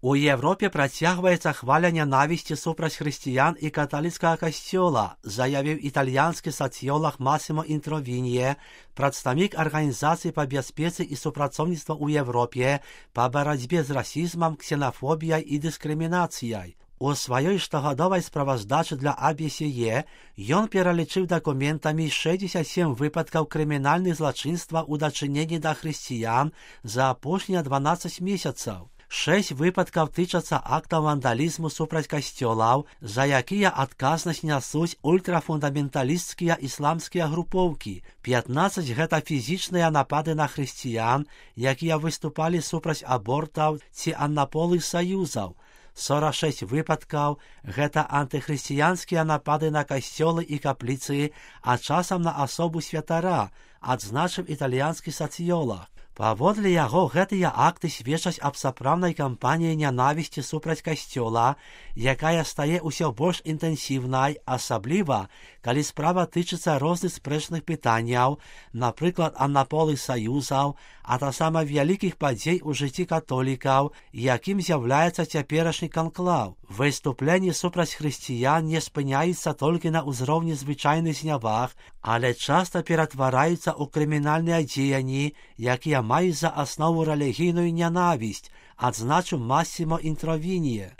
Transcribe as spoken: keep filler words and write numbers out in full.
У Європі працягваецца хваля нянавісці супраць хрысціян і каталіцкага касцёла, заявіў італьянскі сацыёлаг Масімо Інтровінье, прадстаўнік арганізацыі па бяспецы і супрацоўніцтва ў Европе па барацьбе з расізмам, ксенафобіяй і дыскрымінацыяй. У сваёй штогадовай справаздачы для А Б С Е ён пералічыў дакументамі шэсцьдзесят сем выпадкаў крымінальных злачынства ў дачыненні да хрысціян за апошнія дванаццаць месяцаў. Шэсць выпадкаў тычацца актаў вандалізму супраць касцёлаў, за якія адказнасць нясуць ультрафундаменталісцкія ісламскія групоўкі. пятнаццаць гэта фізічныя напады на хрысціян, якія выступалі супраць абортаў ці аднаполых саюзаў. сорок шесть выпадкаў гэта антыхрысціянскія напады на касцёлы і капліцы, а часам на асобу святара, адзначыў італьянскі сацыёлаг. Паводле яго гэтыя акты сведчаць аб сапраўднай кампаніі нянавісці супраць касцёла, якая стае ўсё больш інтэнсіўнай, асабліва, калі справа тычыцца розных спрэчных пытанняў, напрыклад, аднаполых саюзаў, а таксама вялікіх падзей у жыцці католікаў, якім з'яўляецца цяперашні канклаў. Выступленні супраць хрысціян не спыняюцца толькі на ўзроўні звычайных зняваг, але часта ператвараюцца ў крымінальныя дзеянні, якія маюць за аснову рэлігійную нянавісць, адзначыў Масімо Інтровінье.